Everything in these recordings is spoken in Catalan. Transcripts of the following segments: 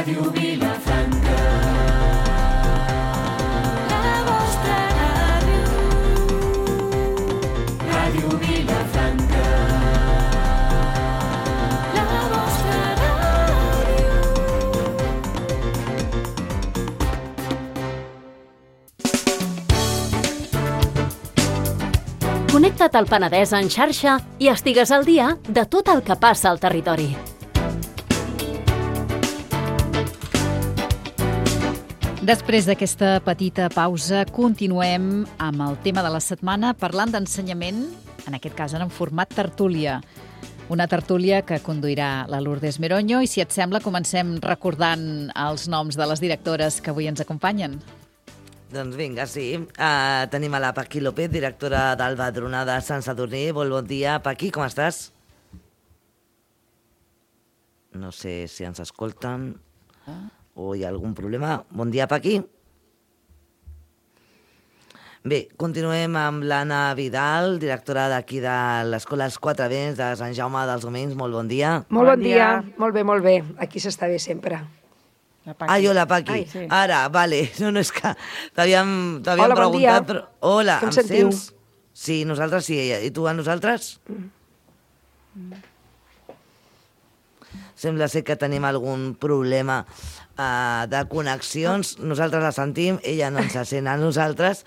Ràdio Vilafranca. La vostra ràdio. Ràdio Vilafranca. La vostra ràdio. Connecta't al Penedès en xarxa i estigues al dia de tot el que passa al territori. Després d'aquesta petita pausa, continuem amb el tema de la setmana parlant d'ensenyament, en aquest cas en format tertúlia. Una tertúlia que conduirà la Lourdes Meroño i, si et sembla, comencem recordant els noms de les directores que avui ens acompanyen. Doncs vinga, sí. Tenim a la Paqui López, directora d'Alba Druna de Sant Sadurní. Molt bon dia, Paqui, com estàs? No sé si ens escolten o hi ha algun problema. Bon dia, Paqui. Bé, continuem amb l'Anna Vidal, directora d'aquí de l'Escola Els Quatre Vents de Sant Jaume dels Domenys. Molt bon dia. Molt bon dia. Molt bé. Aquí s'està bé sempre. Jo, la Paqui. Sí. Ara, vale. No, és que t'havíem Hola, bon dia. preguntat... Però... Hola, Com em sentiu? sents? Sí, nosaltres sí. I tu a nosaltres? Sembla ser que tenim algun problema de connexions. Nosaltres la sentim, ella no ens sent a nosaltres.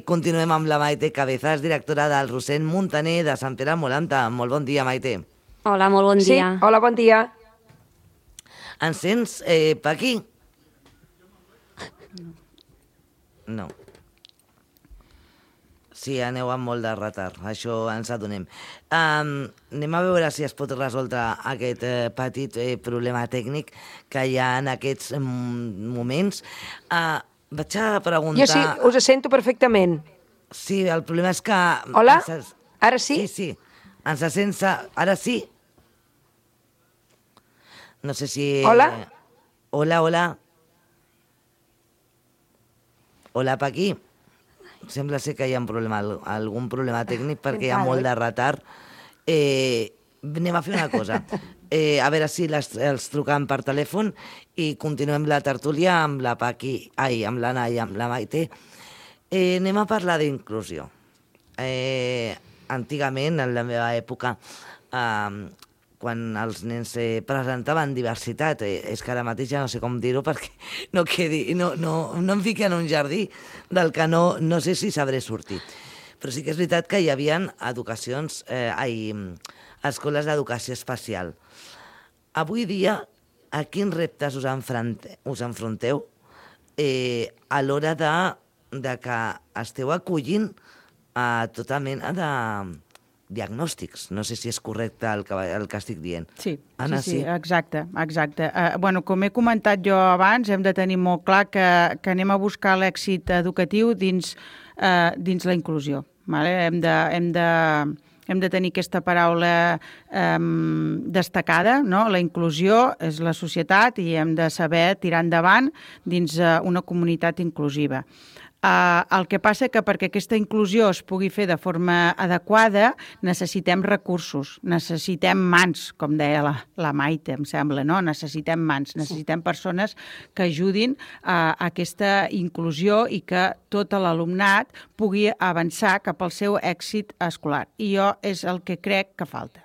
Continuem amb la Maite Cabezas, directora del Rossend Muntaner de Sant Pere Molanta. Molt bon dia, Maite. Hola, molt bon dia. Sí, hola, bon dia. Ens sents, Paqui? No. Sí, aneu amb molt de retard, això ens adonem. Anem a veure si es pot resoldre aquest petit problema tècnic que hi ha en aquests moments. Vaig a preguntar... Jo sí, us sento perfectament. Sí, el problema és que... Hola? Ara sí? Sí. Ens sents... Ara sí? No sé si... Hola? Hola. Hola, Paqui. Sembla ser que hi ha algun problema tècnic perquè hi ha molt de retard. Anem a fer una cosa. A veure si els trucam per telèfon i continuem la tertúlia amb la Paqui, amb l'Anna i amb la Maite. Anem a parlar d'inclusió. Antigament, en la meva època, quan els nens presentaven diversitat, és que ara mateix ja no sé com dir-ho perquè no em fiqui en un jardí del que no sé si sabré sortir. Però sí que és veritat que hi havia escoles d'educació especial. Avui dia, a quins reptes us enfronteu a l'hora de que esteu acollint a tota mena de diagnòstics. No sé si és correcte el que estic dient. Sí, Anna, sí, exacte. Com he comentat jo abans, hem de tenir molt clar que anem a buscar l'èxit educatiu dins la inclusió. Vale? Hem de tenir aquesta paraula destacada, no? La inclusió és la societat i hem de saber tirar endavant dins una comunitat inclusiva. El que passa que perquè aquesta inclusió es pugui fer de forma adequada necessitem recursos, necessitem mans, com deia la Maite, em sembla, no? Necessitem mans, necessitem persones que ajudin a aquesta inclusió i que tot l'alumnat pugui avançar cap al seu èxit escolar. I jo és el que crec que falta.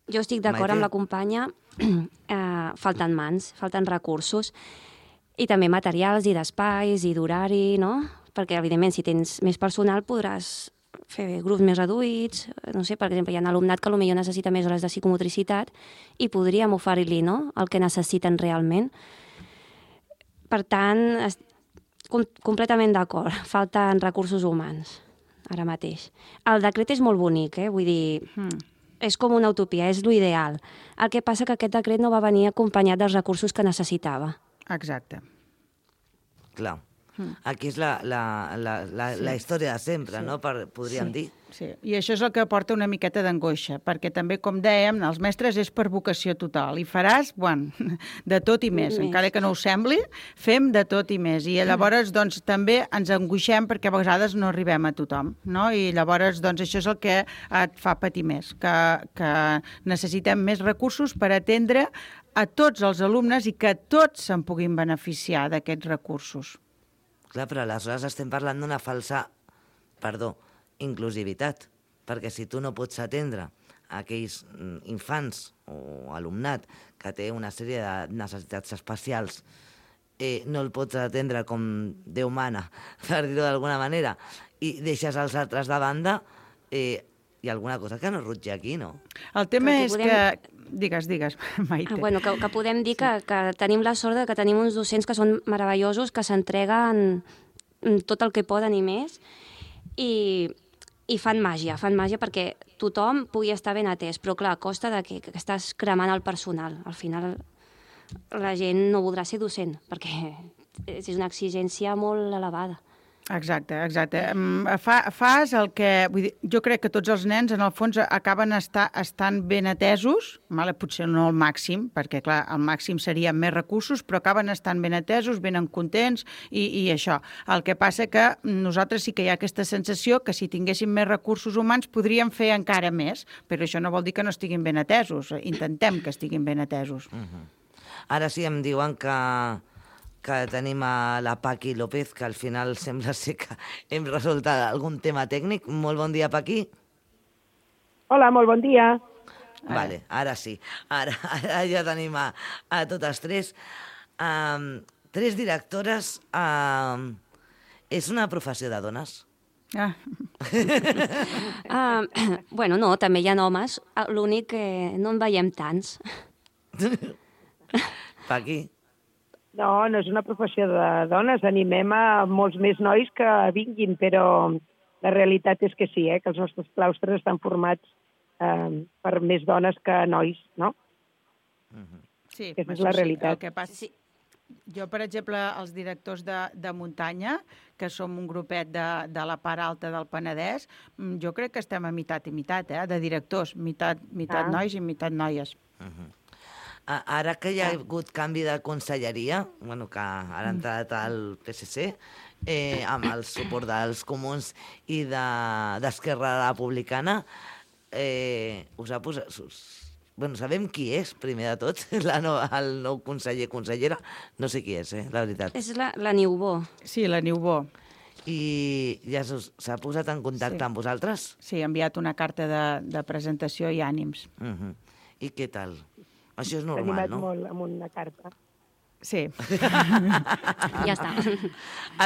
Jo estic d'acord amb la companya, falten mans, falten recursos, i també materials i d'espais i d'horari, no? Perquè, evidentment, si tens més personal podràs fer grups més reduïts. No sé, per exemple, hi ha alumnat que potser necessita més hores de psicomotricitat i podríem oferir-li, no?, el que necessiten realment. Per tant, completament d'acord. Falten recursos humans, ara mateix. El decret és molt bonic, vull dir... És com una utopia, és l'ideal. El que passa que aquest decret no va venir acompanyat dels recursos que necessitava. Exacte. Clar. Aquí és la història de sempre, no? Podríem dir. Sí, i això és el que porta una miqueta d'angoixa, perquè també, com dèiem, els mestres és per vocació total, i faràs, bueno, de tot i més. Encara que no us sembli, fem de tot i més. I llavors, doncs, també ens angoixem perquè a vegades no arribem a tothom, no? I llavors, doncs, això és el que et fa patir més, que necessitem més recursos per atendre a tots els alumnes i que tots se'n puguin beneficiar d'aquests recursos. Clar, però aleshores estem parlant d'una falsa, inclusivitat, perquè si tu no pots atendre aquells infants o alumnat que té una sèrie de necessitats especials, no el pots atendre com Déu mana, per dir-ho d'alguna manera, i deixes els altres de banda, hi ha alguna cosa que no rutja aquí, no? El tema és que... Digues, Maite. Bueno, que podem dir que tenim la sort de que tenim uns docents que són meravellosos, que s'entreguen tot el que poden i més, i fan màgia perquè tothom pugui estar ben atès, però clar, a costa de que estàs cremant el personal. Al final la gent no voldrà ser docent, perquè és una exigència molt elevada. Exacte. Fas el que... Vull dir, jo crec que tots els nens, en el fons, acaben estant ben atesos, potser no al màxim, perquè, clar, al màxim serien més recursos, però acaben estant ben atesos, ben contents, i això. El que passa que nosaltres sí que hi ha aquesta sensació que si tinguéssim més recursos humans podríem fer encara més, però això no vol dir que no estiguin ben atesos. Intentem que estiguin ben atesos. Ara sí em diuen que tenim a la Paqui López, que al final sembla ser que hem resolt algun tema tècnic. Molt bon dia, Paqui. Hola, molt bon dia. Vale, ara sí. Ara ja tenim a totes tres. Tres directores. És una professió de dones? Bueno, no, també hi ha homes. L'únic que no en veiem tants. Paqui? No és una professió de dones. Animem a molts més nois que vinguin, però la realitat és que sí, que els nostres claustres estan formats per més dones que nois, no? Sí, aquesta és la realitat. El que passa... Sí. Jo, per exemple, els directors de muntanya, que som un grupet de la part alta del Penedès, jo crec que estem a meitat i meitat, de directors, meitat nois i meitat noies. Ara que hi ha hagut canvi de conselleria, que ara ha entrat al PSC, amb el suport dels comuns i d'Esquerra Republicana, us ha posat... sabem qui és, primer de tot, el nou consellera. No sé qui és, la veritat. És la Niubó. Sí, la Niubó. I ja s'ha posat en contacte amb vosaltres? Sí, ha enviat una carta de presentació i ànims. I què tal? Això és normal, no? S'ha animat molt amb una carta. Sí. Ja està.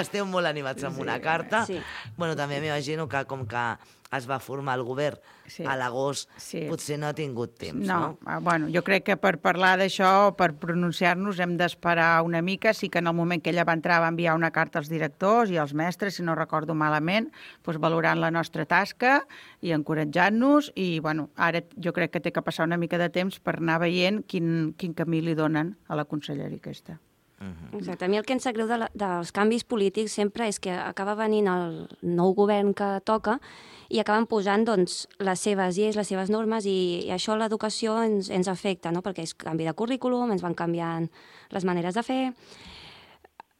Esteu molt animats amb una carta. Sí. Bueno, també m'imagino que com que es va formar el govern a l'agost, potser no ha tingut temps, no? Bueno, jo crec que per parlar d'això, per pronunciar-nos, hem d'esperar una mica. Sí que en el moment que ella va entrar va enviar una carta als directors i als mestres, si no recordo malament, valorant la nostra tasca i encoratjant-nos. I, bueno, ara jo crec que té que passar una mica de temps per anar veient quin camí li donen a la conselleria aquesta. Exacte. A mi el que em sap greu dels canvis polítics sempre és que acaba venint el nou govern que toca i acaben posant les seves lleis, les seves normes, i això a l'educació ens afecta, no? Perquè és canvi de currículum, ens van canviant les maneres de fer.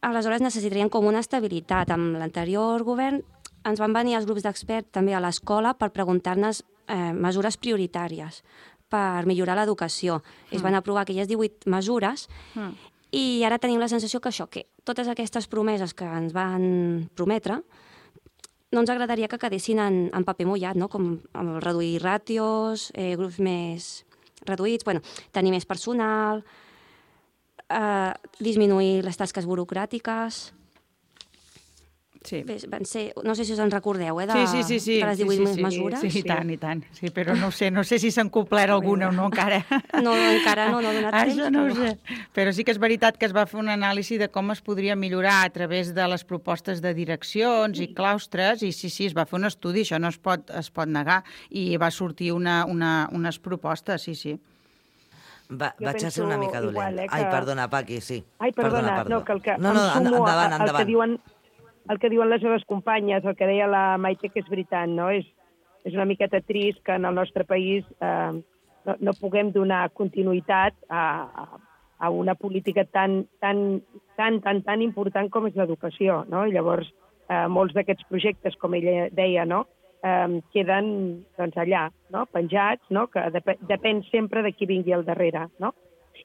Aleshores necessitarien com una estabilitat. Amb l'anterior govern ens van venir els grups d'experts també a l'escola per preguntar-nos mesures prioritàries per millorar l'educació. Es van aprovar aquelles 18 mesures i ara tenim la sensació que que totes aquestes promeses que ens van prometre no ens agradaria que quedessin en paper mullat, no? Com reduir ràtios, grups més reduïts, tenir més personal, disminuir les tasques burocràtiques. Sí. Bé, van ser, no sé si us en recordeu, de les 18 mesures. Sí, i tant. Sí, però no sé si s'han complert alguna o no encara. No, encara no ha donat temps. Això no ho sé. Però sí que és veritat que es va fer una anàlisi de com es podria millorar a través de les propostes de direccions i claustres, i sí, es va fer un estudi, això no es pot negar, i va sortir unes propostes, sí. Vaig a ser una mica dolent. Ai, perdona, Paqui, sí. Ai, perdona. No, que el que em sumo endavant. al que diuen el que diuen les meves companyes, el que deia la Maite, que és veritat, no? És una miqueta trist que en el nostre país no puguem donar continuïtat a una política tan important com és l'educació, no? I llavors, molts d'aquests projectes, com ella deia, no? Queden doncs, allà, no? Penjats, no? Que depèn sempre de qui vingui al darrere, no?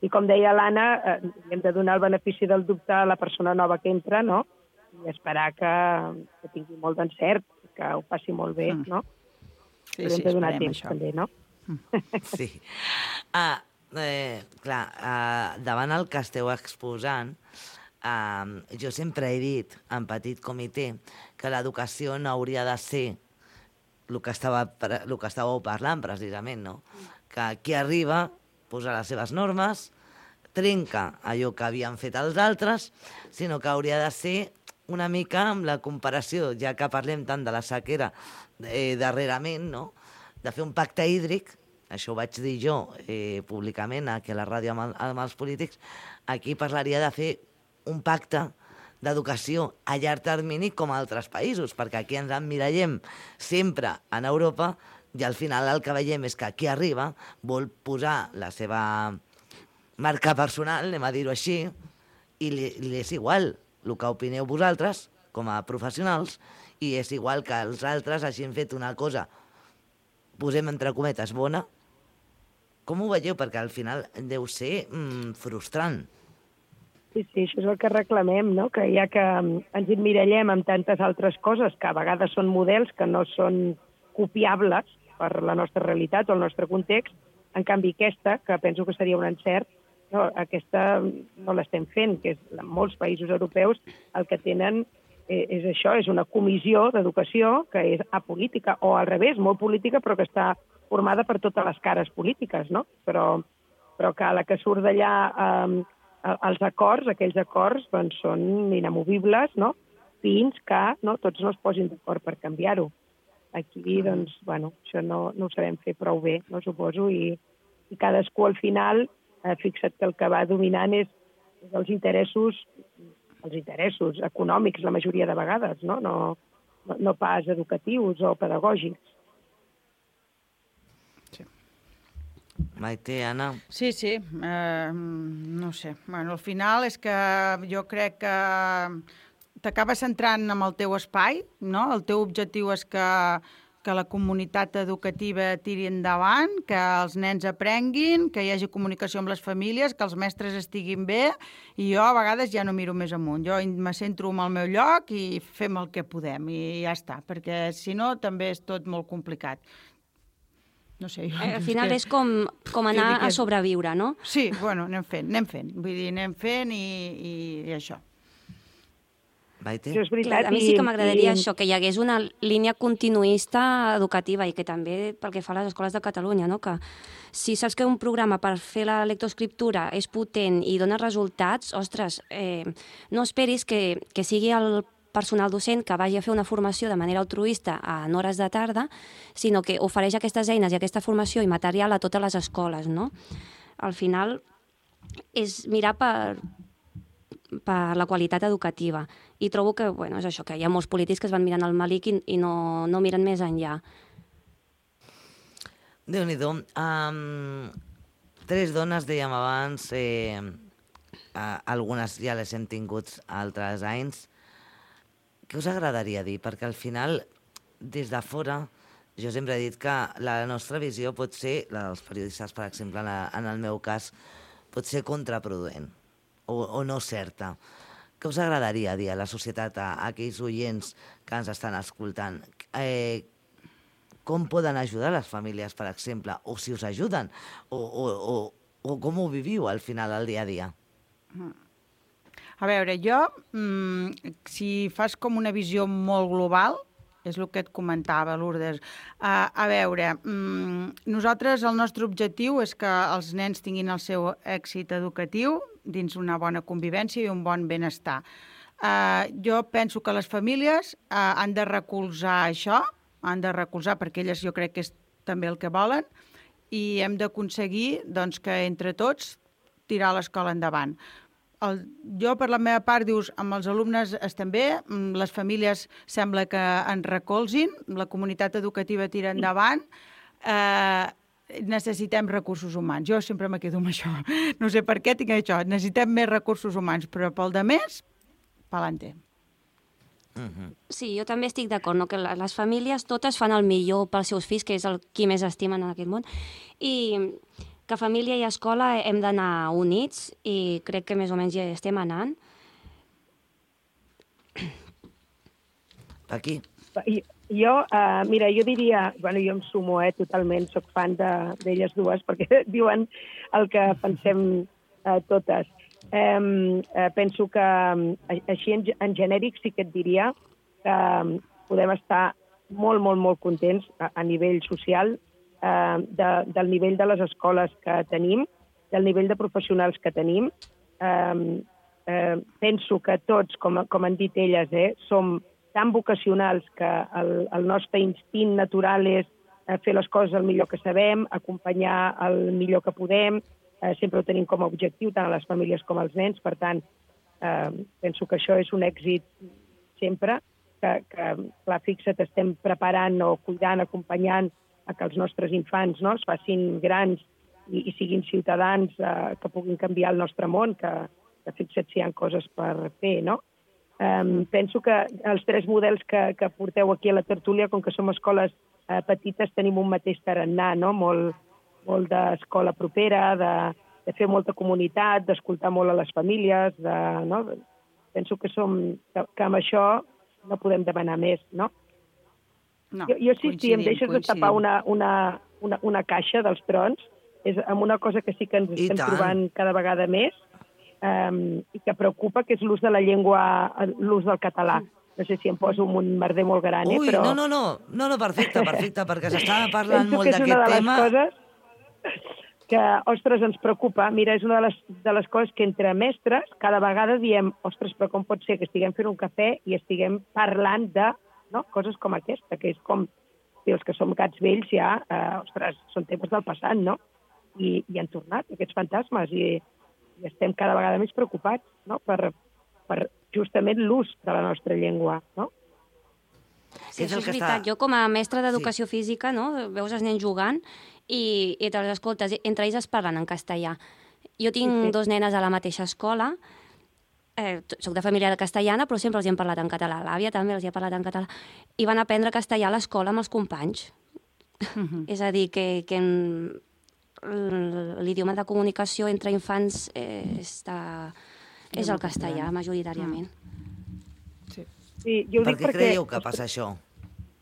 I com deia l'Anna, hem de donar el benefici del dubte a la persona nova que entra, no? I esperar que tingui molt d'encert, que ho faci molt bé, no? Sí, Però hem de donar esperem temps, això. també, no? Sí. Clar, davant el que esteu exposant, jo sempre he dit, en petit comitè, que l'educació no hauria de ser el que estàveu parlant, precisament, no? Que qui arriba posa les seves normes, trenca allò que havien fet els altres, sinó que hauria de ser una mica amb la comparació, ja que parlem tant de la sequera darrerament, no? De fer un pacte hídric, això ho vaig dir jo públicament aquí a la ràdio amb els polítics, aquí parlaria de fer un pacte d'educació a llarg termini com a altres països, perquè aquí ens emmirallem sempre en Europa i al final el que veiem és que qui arriba vol posar la seva marca personal, anem a dir-ho així, i li és igual el que opineu vosaltres com a professionals i és igual que els altres hagin fet una cosa, posem entre cometes, bona. Com ho veieu? Perquè al final deu ser frustrant. Sí, això és el que reclamem, no? Que ja que ens emmirallem amb tantes altres coses que a vegades són models que no són copiables per la nostra realitat o el nostre context, en canvi aquesta, que penso que seria un encert, no, aquesta no l'estem fent, que és en molts països europeus el que tenen és això, és una comissió d'educació que és apolítica, o al revés, molt política, però que està formada per totes les cares polítiques, no? Però que a la que surt d'allà els acords, aquells acords, doncs, són inamovibles, no? Fins que tots no es posin d'acord per canviar-ho. Aquí, doncs, bueno, això no ho sabem fer prou bé, no suposo, i cadascú al final, fixa't que el que va dominant és els interessos econòmics la majoria de vegades, no pas educatius o pedagògics. Maite, Anna? Sí, no sé. Bueno, al final és que jo crec que t'acabes centrant en el teu espai, no? El teu objectiu és que la comunitat educativa tiri endavant, que els nens aprenguin, que hi hagi comunicació amb les famílies, que els mestres estiguin bé, i jo a vegades ja no miro més amunt. Jo me centro en el meu lloc i fem el que podem, i ja està, perquè si no també és tot molt complicat. No sé, al final és com anar a sobreviure, no? Sí, bueno, anem fent. Vull dir, anem fent i això. Maite? Això és veritat. A mi sí que m'agradaria això, que hi hagués una línia continuista educativa i que també, pel que fa a les escoles de Catalunya, no? Que si saps que un programa per fer la lectoescriptura és potent i dona resultats, ostres, no esperis que sigui el personal docent que vagi a fer una formació de manera altruista en hores de tarda, sinó que ofereix aquestes eines i aquesta formació i material a totes les escoles, no? Al final és mirar per la qualitat educativa. I trobo que, bueno, és això, que hi ha molts polítics que es van mirant al malic i no miren més enllà. Déu-n'hi-do. 3 dones, dèiem abans, algunes ja les hem tingut altres anys. Què us agradaria dir? Perquè al final, des de fora, jo sempre he dit que la nostra visió pot ser, la dels periodistes, per exemple, en el meu cas, pot ser contraproduent o no certa. Què us agradaria dir a la societat, a aquells oients que ens estan escoltant? Com poden ajudar les famílies, per exemple? O si us ajuden? O com ho viviu al final, al dia a dia? A veure, jo, si fas com una visió molt global, és el que et comentava, Lourdes. A veure, nosaltres, el nostre objectiu és que els nens tinguin el seu èxit educatiu dins una bona convivència i un bon benestar. Jo penso que les famílies han de recolzar això, perquè elles jo crec que és també el que volen, i hem d'aconseguir doncs, que entre tots tirar l'escola endavant. jo, per la meva part, dius, amb els alumnes estem bé, les famílies sembla que ens recolzin, la comunitat educativa tira endavant, necessitem recursos humans. Jo sempre me quedo amb això. No sé per què tinc això. Necessitem més recursos humans, però pel de més, pa'lante. Sí, jo també estic d'acord, no? Que les famílies totes fan el millor pels seus fills, que és el qui més estimen en aquest món, i que família i escola hem d'anar units, i crec que més o menys ja estem anant. Aquí. Jo, mira, jo diria, bueno, jo em sumo, totalment, soc fan d'elles dues, perquè diuen el que pensem totes. Penso que així en genèric sí que et diria que podem estar molt, molt, molt contents a nivell social del nivell de les escoles que tenim, del nivell de professionals que tenim. Penso que tots, com han dit elles, som tan vocacionals que el nostre instint natural és fer les coses el millor que sabem, acompanyar el millor que podem. Sempre ho tenim com a objectiu, tant a les famílies com als nens. Per tant, penso que això és un èxit sempre, que clar, fixa't, estem preparant o cuidant, acompanyant a que els nostres infants es facin grans i siguin ciutadans que puguin canviar el nostre món, que fixa't si hi ha coses per fer, no? Penso que els tres models que porteu aquí a la tertúlia, com que som escoles petites, tenim un mateix tarannà, no? Molt d'escola propera, de fer molta comunitat, d'escoltar molt a les famílies, no? Penso que amb això no podem demanar més, no? No, jo sí, em deixes de tapar una caixa dels trons, és amb una cosa que sí que ens estem trobant cada vegada més, i que preocupa, que és l'ús de la llengua, l'ús del català. No sé si em poso un merder molt gran, però... Ui, no, perfecte, perquè s'estava parlant molt d'aquest tema. Penso que és una de les coses que, ostres, ens preocupa. Mira, és una de les coses que entre mestres cada vegada diem, ostres, però com pot ser que estiguem fent un cafè i estiguem parlant de coses com aquesta, que és com, si els que som gats vells ja, ostres, són temes del passat, no? I han tornat aquests fantasmes i estem cada vegada més preocupats, no? Per justament l'ús de la nostra llengua, no? Sí, això és veritat. Jo, com a mestra d'educació física, veus els nens jugant i te'ls escoltes, entre ells es parlen en castellà. Jo tinc dos nenes a la mateixa escola, soc de família castellana, però sempre els hem parlat en català. L'àvia també els ha parlat en català. I van aprendre castellà a l'escola amb els companys. És a dir, que l'idioma de comunicació entre infants és el castellà, majoritàriament. Sí, jo ho dic per què creieu que passa això?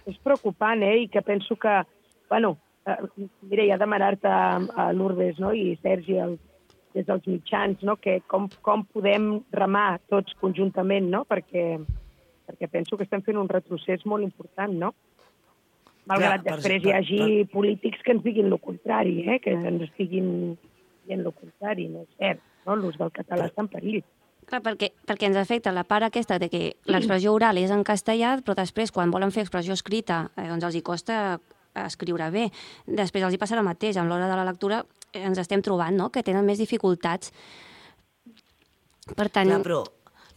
És preocupant, i que penso que, bueno, mira, ja demanar-te a Lourdes, i Sergi des dels mitjans, que com podem remar tots conjuntament, perquè penso que estem fent un retrocés molt important, no? Malgrat després hi hagi polítics que ens diguin el contrari, que ens estiguin dient el contrari, no és cert, l'ús del català està en perill. Clar, perquè ens afecta la part aquesta de que l'expressió oral és en castellà, però després, quan volen fer expressió escrita, doncs els hi costa escriure bé. Després els hi passa el mateix. A l'hora de la lectura ens estem trobant, que tenen més dificultats. Per tant... Clar, però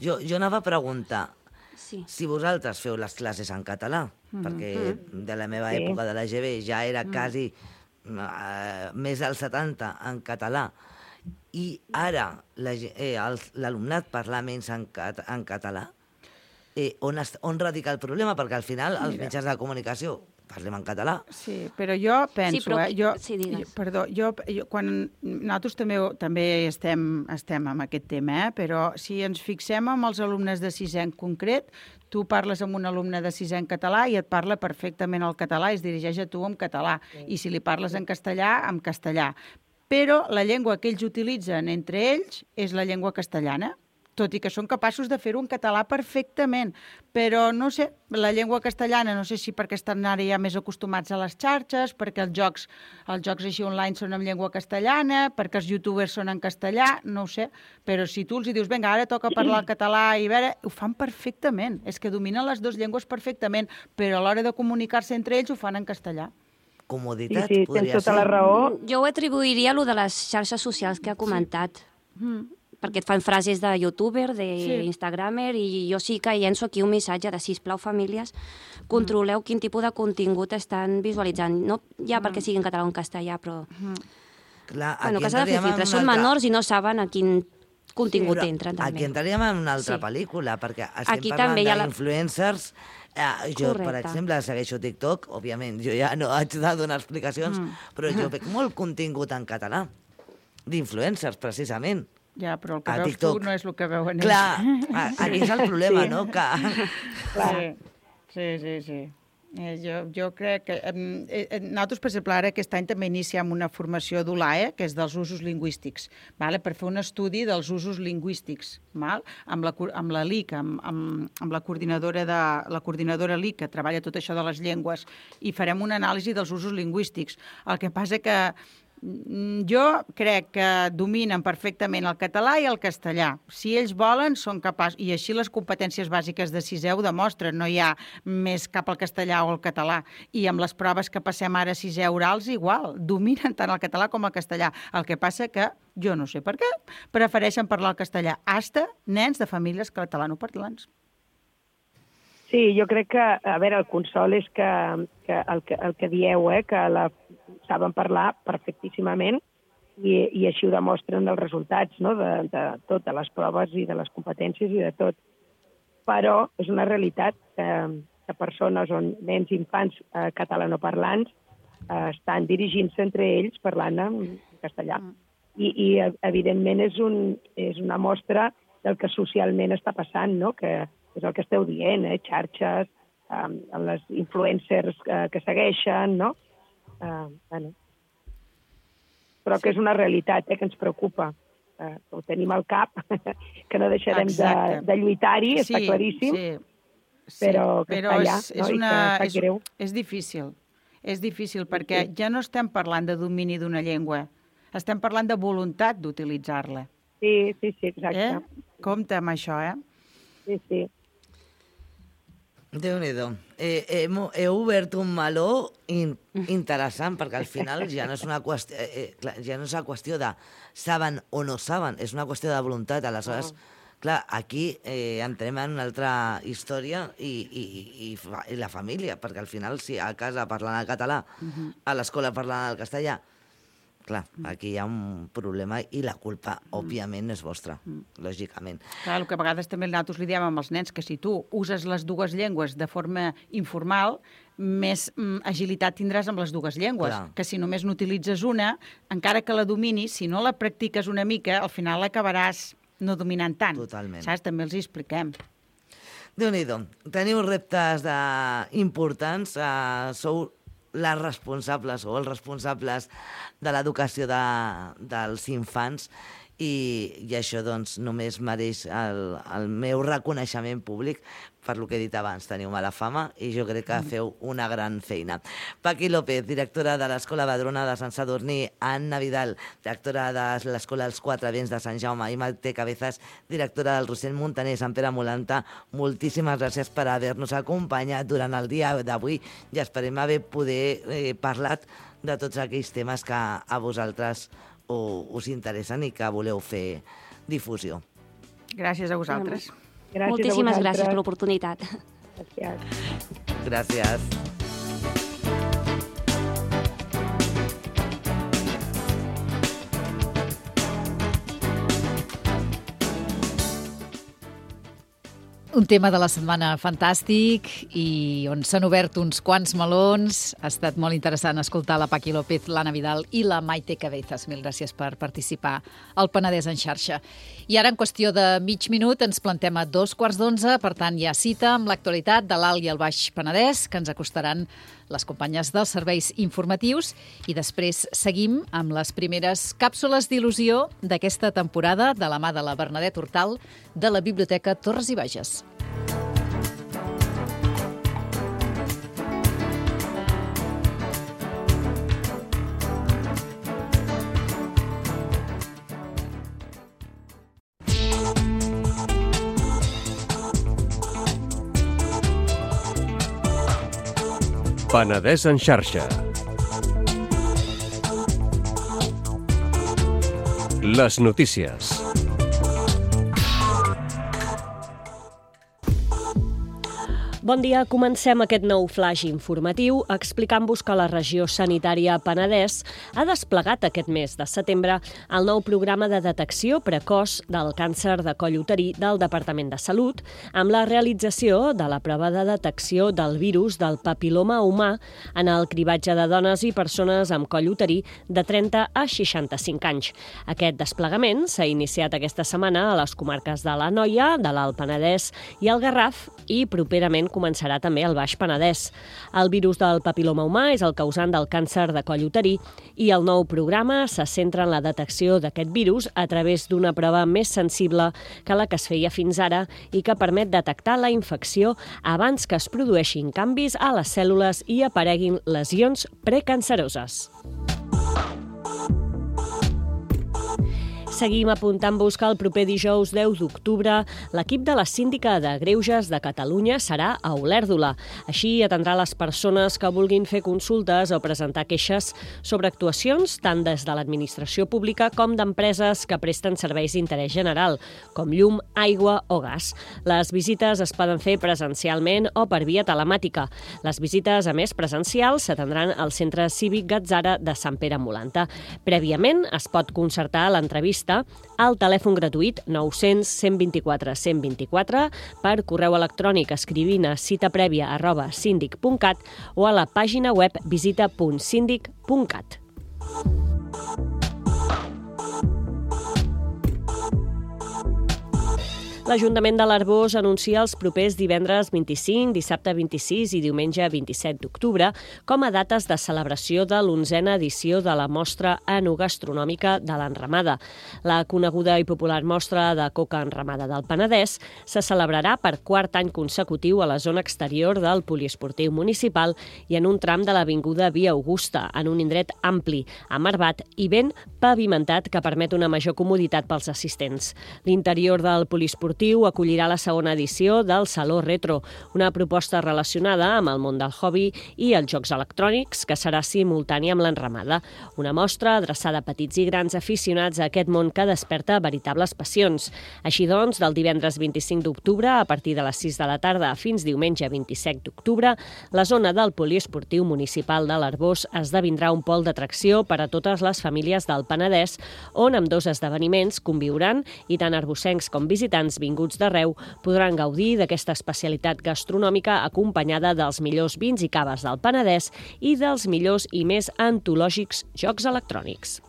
jo anava a preguntar si vosaltres feu les classes en català, perquè de la meva època de la GB ja era quasi més del 70 en català, i ara l'alumnat parla menys en català, on radica el problema? Perquè al final els mitjans de comunicació parlem en català. Sí, però jo penso... Sí, però... quan nosaltres també estem amb aquest tema, però si ens fixem en els alumnes de sisè en concret, tu parles amb un alumne de sisè en català i et parla perfectament el català, es dirigeix a tu en català, i si li parles en castellà, en castellà. Però la llengua que ells utilitzen entre ells és la llengua castellana, tot i que són capaços de fer-ho en català perfectament. Però, no sé, la llengua castellana, no sé si perquè estan ara ja més acostumats a les xarxes, perquè els jocs així online són en llengua castellana, perquè els youtubers són en castellà, no ho sé. Però si tu els dius, vinga, ara toca parlar el català i veure, ho fan perfectament. És que dominen les dues llengües perfectament, però a l'hora de comunicar-se entre ells ho fan en castellà. Comoditat, podria ser. Tens tota la raó. Jo ho atribuiria a lo de les xarxes socials que ha comentat. perquè et fan frases de youtuber, d'instagramer, i jo sí que llenço aquí un missatge de sisplau, famílies, controleu quin tipus de contingut estan visualitzant. No ja perquè sigui en català o en castellà, però... Clar, Bueno, que s'ha de fer filtre. Són menors i no saben a quin contingut entren, també. Aquí entraríem en una altra Sí. pel·lícula, perquè Aquí estem també hi ha parlant d'influencers. Jo, per Correcte. exemple, segueixo TikTok, òbviament, jo ja no haig de donar explicacions, però jo veig molt contingut en català, d'influencers, precisament. Ja, però el que A veus TikTok. tu no és el que veuen ells. Clar, aquí és el problema, no? Que... Sí. Jo crec que... nosaltres, per exemple, ara aquest any també iniciem una formació d'ULAE, que és dels usos lingüístics, vale? Per fer un estudi dels usos lingüístics, val? Amb la LIC, amb la coordinadora LIC, que treballa tot això de les llengües, i farem una anàlisi dels usos lingüístics. El que passa que jo crec que dominen perfectament el català i el castellà. Si ells volen, són capaços. I així les competències bàsiques de sisè ho demostren. No hi ha més cap al castellà o al català. I amb les proves que passem ara a sisè orals, igual. Dominen tant el català com el castellà. El que passa que, jo no sé per què, prefereixen parlar el castellà. Hasta nens de famílies catalanoparlants. Sí, jo crec que, a veure, el consol és que el que dieu, que saben parlar perfectíssimament i així ho demostren els resultats, no?, de totes les proves i de les competències i de tot. Però és una realitat que persones on nens i infants catalanoparlants estan dirigint-se entre ells parlant en castellà. I evidentment, és una mostra del que socialment està passant, no?, que és el que esteu dient, xarxes, les influencers que segueixen, no? Bueno. Però que és una realitat que ens preocupa. Ho tenim al cap, que no deixarem de lluitar-hi, està claríssim, però que està allà, no? I que sap greu. És difícil perquè ja no estem parlant de domini d'una llengua, estem parlant de voluntat d'utilitzar-la. Sí, exacte. Compte amb això, Sí. Déu-n'hi-do. Heu obert un meló interessant, perquè al final ja no és una qüestió de saben o no saben, és una qüestió de voluntat. Aleshores, clar, aquí entrem en una altra història i la família, perquè al final, si a casa parlant el català, a l'escola parlant el castellà, clar, aquí hi ha un problema i la culpa, òbviament, no és vostra, lògicament. Clar, el que a vegades també nosaltres li diem amb els nens, que si tu uses les dues llengües de forma informal, més agilitat tindràs amb les dues llengües. Clar. Que si només n'utilitzes una, encara que la dominis, si no la practiques una mica, al final l'acabaràs no dominant tant. Totalment. Saps? També els hi expliquem. Déu-n'hi-do. Teniu reptes importants, sou les responsables o els responsables de l'educació dels infants i això doncs només mereix el meu reconeixement públic per lo que he dit abans. Teniu mala fama i jo crec que feu una gran feina. Paqui López, directora de l'Escola Badrona de Sant Sadurní, Anna Vidal, directora de l'Escola Els Quatre Vents de Sant Jaume, i Maite Cabezas, directora del Rossell Montaner, Sant Pere Molanta, moltíssimes gràcies per haver-nos acompanyat durant el dia d'avui i esperem haver poder parlat de tots aquells temes que a vosaltres us interessen i que voleu fer difusió. Gràcies a vosaltres. Gràcies Moltíssimes a gràcies per vosaltres. l'oportunitat. Gràcies. Un tema de la setmana fantàstic i on s'han obert uns quants melons. Ha estat molt interessant escoltar la Paqui López, l'Anna Vidal i la Maite Cabezas. Mil gràcies per participar al Penedès en xarxa. I ara, en qüestió de mig minut, ens plantem a 2:15. Per tant, hi ha cita amb l'actualitat de l'Alt i el Baix Penedès, que ens acostaran les companyes dels serveis informatius, i després seguim amb les primeres càpsules d'il·lusió d'aquesta temporada de la mà de la Bernadette Hortal de la Biblioteca Torres i Bages. Penedès en xarxa. Les notícies. Bon dia, comencem aquest nou flash informatiu explicant-vos que la regió sanitària Penedès ha desplegat aquest mes de setembre el nou programa de detecció precoç del càncer de coll uterí del Departament de Salut amb la realització de la prova de detecció del virus del papiloma humà en el cribatge de dones i persones amb coll uterí de 30 a 65 anys. Aquest desplegament s'ha iniciat aquesta setmana a les comarques de l'Anoia, de l'Alt Penedès i el Garraf i properament començarà també al Baix Penedès. El virus del papiloma humà és el causant del càncer de coll uterí i el nou programa se centra en la detecció d'aquest virus a través d'una prova més sensible que la que es feia fins ara i que permet detectar la infecció abans que es produeixin canvis a les cèl·lules i apareguin lesions precanceroses. Seguim apuntant-vos que el proper dijous 10 d'octubre l'equip de la Síndica de Greuges de Catalunya serà a Olèrdola. Així atendrà les persones que vulguin fer consultes o presentar queixes sobre actuacions tant des de l'administració pública com d'empreses que presten serveis d'interès general, com llum, aigua o gas. Les visites es poden fer presencialment o per via telemàtica. Les visites, a més presencials, s'atendran al Centre Cívic Gatzara de Sant Pere Molanta. Prèviament es pot concertar l'entrevista al telèfon gratuït 900 124 124 per correu electrònic escrivint a citaprèvia@sindic.cat o a la pàgina web visita.sindic.cat. L'Ajuntament de l'Arboç anuncia els propers divendres 25, dissabte 26 i diumenge 27 d'octubre com a dates de celebració de l'11a edició de la Mostra Enogastronòmica de l'Enramada. La coneguda i popular Mostra de Coca Enramada del Penedès se celebrarà per quart any consecutiu a la zona exterior del poliesportiu municipal i en un tram de l'Avinguda Via Augusta, en un indret ampli, amarbat i ben pavimentat que permet una major comoditat pels assistents. L'interior del poliesportiu acollirà la segona edició del Saló Retro, una proposta relacionada amb el món del hobby i els jocs electrònics que serà simultània amb l'enramada. Una mostra adreçada a petits i grans aficionats a aquest món que desperta veritables passions. Així doncs, del divendres 25 d'octubre a partir de les 6 de la tarda fins diumenge 27 d'octubre, la zona del poliesportiu municipal de l'Arboç esdevindrà un pol d'atracció per a totes les famílies del Penedès, on ambdós esdeveniments conviuran i tant arbocencs com visitants vinguts d'arreu podran gaudir d'aquesta especialitat gastronòmica acompanyada dels millors vins i caves del Penedès i dels millors i més antològics jocs electrònics.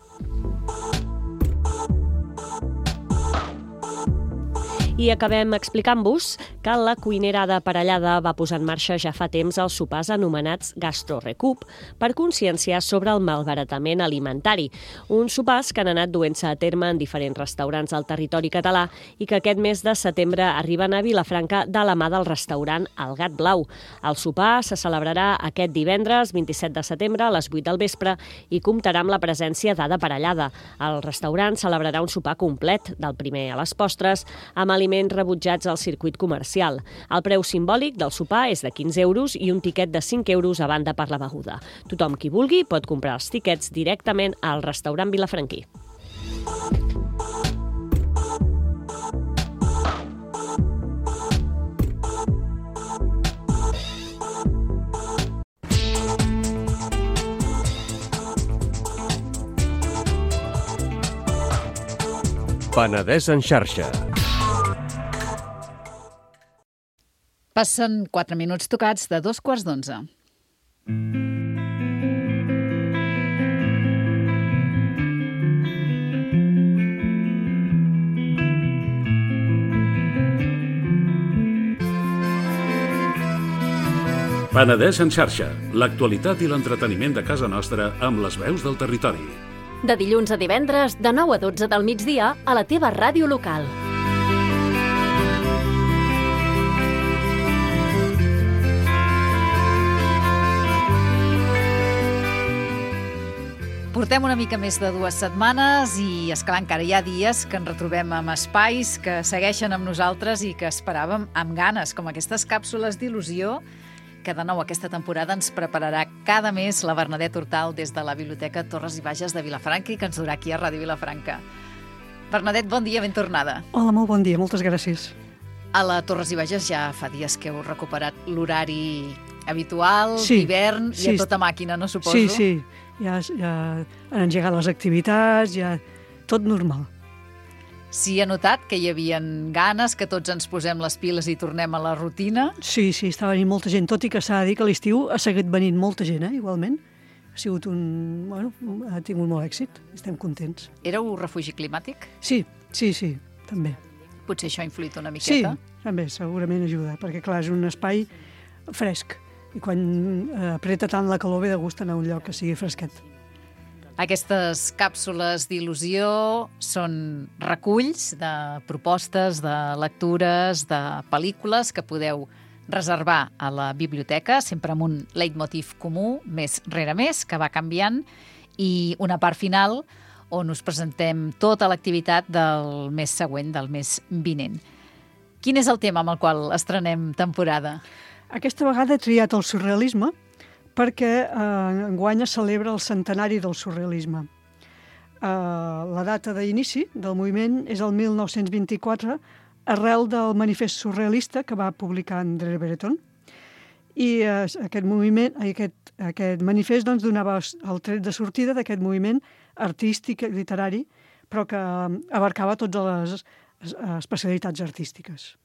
I acabem explicant-vos que la cuinera de Parellada va posar en marxa ja fa temps els sopars anomenats Gastrorecup per conscienciar sobre el malbaratament alimentari. Uns sopars que han anat duent-se a terme en diferents restaurants al territori català i que aquest mes de setembre arriben a Vilafranca de la mà del restaurant El Gat Blau. El sopar se celebrarà aquest divendres 27 de setembre a les 8 del vespre i comptarà amb la presència d'Ada Parellada. El restaurant celebrarà un sopar complet, del primer a les postres, amb aliments rebutjats al circuit comercial. El preu simbòlic del sopar és de 15 euros i un tiquet de 5 euros a banda per la beguda. Tothom qui vulgui pot comprar els tiquets directament al restaurant vilafranquí. Penedès en xarxa. Passen 4 minuts tocats de 2:15. Penedès en xarxa, l'actualitat i l'entreteniment de casa nostra amb les veus del territori. De dilluns a divendres, de 9 a 12 del migdia, a la teva ràdio local. Portem una mica més de 2 setmanes i, esclar, encara hi ha dies que ens retrobem amb espais que segueixen amb nosaltres i que esperàvem amb ganes, com aquestes càpsules d'il·lusió que de nou aquesta temporada ens prepararà cada mes la Bernadette Hortal des de la Biblioteca Torres i Bages de Vilafranca i que ens durà aquí a Ràdio Vilafranca. Bernadette, bon dia, ben tornada. Hola, molt bon dia, moltes gràcies. A la Torres i Bages ja fa dies que heu recuperat l'horari habitual, Sí, d'hivern, i sí. a tota màquina, no suposo? Sí, sí, ja han engegat les activitats, ja tot normal. Sí, he notat que hi havia ganes, que tots ens posem les piles i tornem a la rutina. Sí, està venint molta gent, tot i que s'ha de dir que a l'estiu ha seguit venint molta gent, igualment. Ha sigut ha tingut molt èxit, estem contents. Éreu refugi climàtic? Sí, també. Potser això ha influït una Sí, miqueta? també, segurament ajuda, perquè clar, és un espai fresc, i quan apreta tant la calor ve de gust anar a un lloc que sigui fresquet. Aquestes càpsules d'il·lusió són reculls de propostes, de lectures, de pel·lícules que podeu reservar a la biblioteca, sempre amb un leitmotiv comú, més rere més, que va canviant, i una part final on us presentem tota l'activitat del mes següent, del mes vinent. Quin és el tema amb el qual estrenem temporada? Aquesta vegada he triat el surrealisme perquè enguany es celebra el centenari del surrealisme. La data d'inici del moviment és el 1924, arrel del manifest surrealista que va publicar André Breton. I aquest manifest doncs, donava el tret de sortida d'aquest moviment artístic i literari, però que abarcava totes les especialitats artístiques.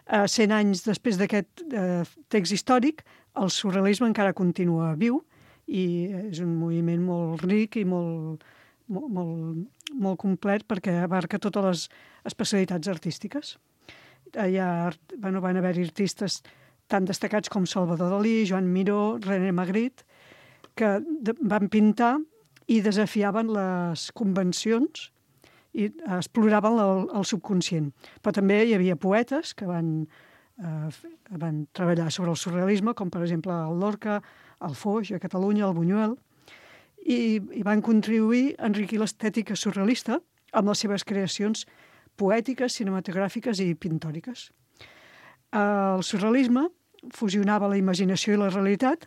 100 anys després d'aquest text històric, el surrealisme encara continua viu i és un moviment molt ric i molt complet perquè abarca totes les especialitats artístiques. Van haver-hi artistes tan destacats com Salvador Dalí, Joan Miró, René Magritte, que van pintar i desafiaven les convencions i exploraven el subconscient. Però també hi havia poetes que van treballar sobre el surrealisme, com per exemple el Lorca, el Foix, a Catalunya, el Buñuel, i van contribuir a enriquir l'estètica surrealista amb les seves creacions poètiques, cinematogràfiques i pintòriques. El surrealisme fusionava la imaginació i la realitat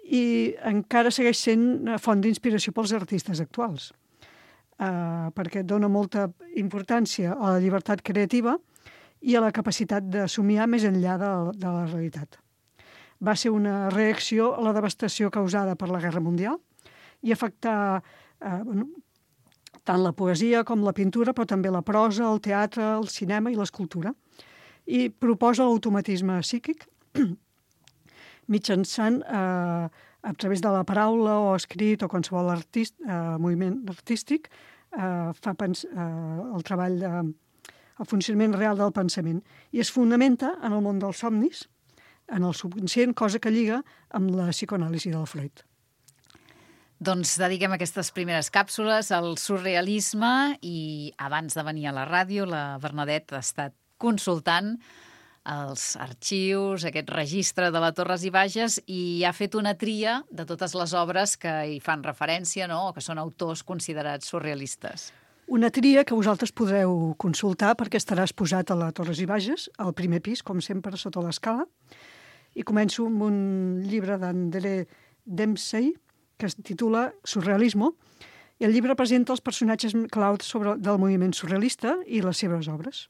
i encara segueix sent font d'inspiració pels artistes actuals, perquè dona molta importància a la llibertat creativa i a la capacitat de somiar més enllà de la realitat. Va ser una reacció a la devastació causada per la Guerra Mundial i afectar tant la poesia com la pintura, però també la prosa, el teatre, el cinema i l'escultura. I proposa l'automatisme psíquic mitjançant, a través de la paraula o escrit o qualsevol moviment artístic, fa el treball, el funcionament real del pensament. I es fonamenta en el món dels somnis, en el subconscient, cosa que lliga amb la psicoanàlisi del Freud. Doncs dediquem aquestes primeres càpsules al surrealisme i abans de venir a la ràdio la Bernadette ha estat consultant els arxius, aquest registre de la Torres i Bages i ha fet una tria de totes les obres que hi fan referència, no?, o que són autors considerats surrealistes. Una tria que vosaltres podreu consultar perquè estarà exposat a la Torres i Bages, al primer pis, com sempre, sota l'escala. I començo amb un llibre d'André Dempsey, que es titula Surrealismo, i el llibre presenta els personatges claus del moviment surrealista i les seves obres.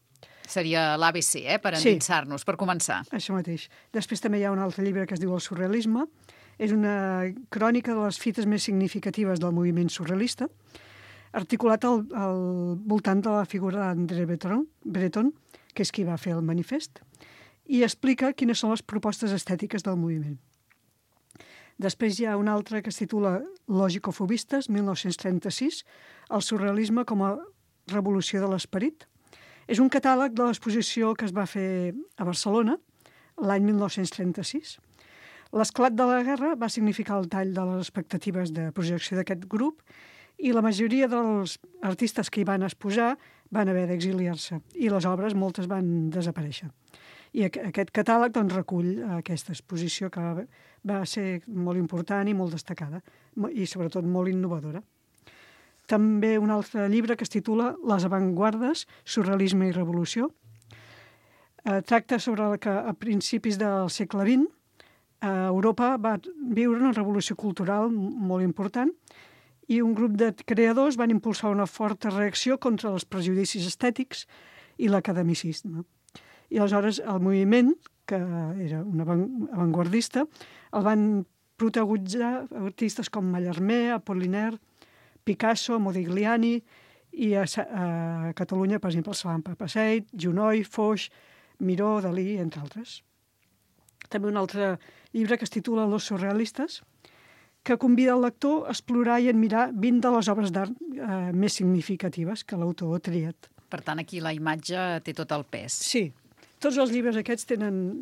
Seria l'ABC, per endinsar-nos, per començar. Això mateix. Després també hi ha un altre llibre que es diu El surrealisme. És una crònica de les fites més significatives del moviment surrealista, articulat al voltant de la figura d'André Breton, que és qui va fer el manifest, i explica quines són les propostes estètiques del moviment. Després hi ha un altre que es titula Logicofobistes, 1936, el surrealisme com a revolució de l'esperit. És un catàleg de l'exposició que es va fer a Barcelona l'any 1936. L'esclat de la guerra va significar el tall de les expectatives de projecció d'aquest grup i la majoria dels artistes que hi van exposar van haver d'exiliar-se i les obres moltes van desaparèixer. I aquest catàleg doncs, recull aquesta exposició que va ser molt important i molt destacada i sobretot molt innovadora. També un altre llibre que es titula Les avantguardes, surrealisme i revolució. Tracta sobre que a principis del segle XX Europa va viure una revolució cultural molt important i un grup de creadors van impulsar una forta reacció contra els prejudicis estètics i l'academicisme. I aleshores el moviment, que era un avantguardista, el van protagonitzar artistes com Mallarmé, Apollinaire, Picasso, Modigliani, i a Catalunya, per exemple, Salampa Passeig, Junoy, Foix, Miró, Dalí, entre altres. També un altre llibre que es titula Los surrealistes, que convida el lector a explorar i admirar 20 de les obres d'art més significatives que l'autor ha triat. Per tant, aquí la imatge té tot el pes. Sí, tots els llibres aquests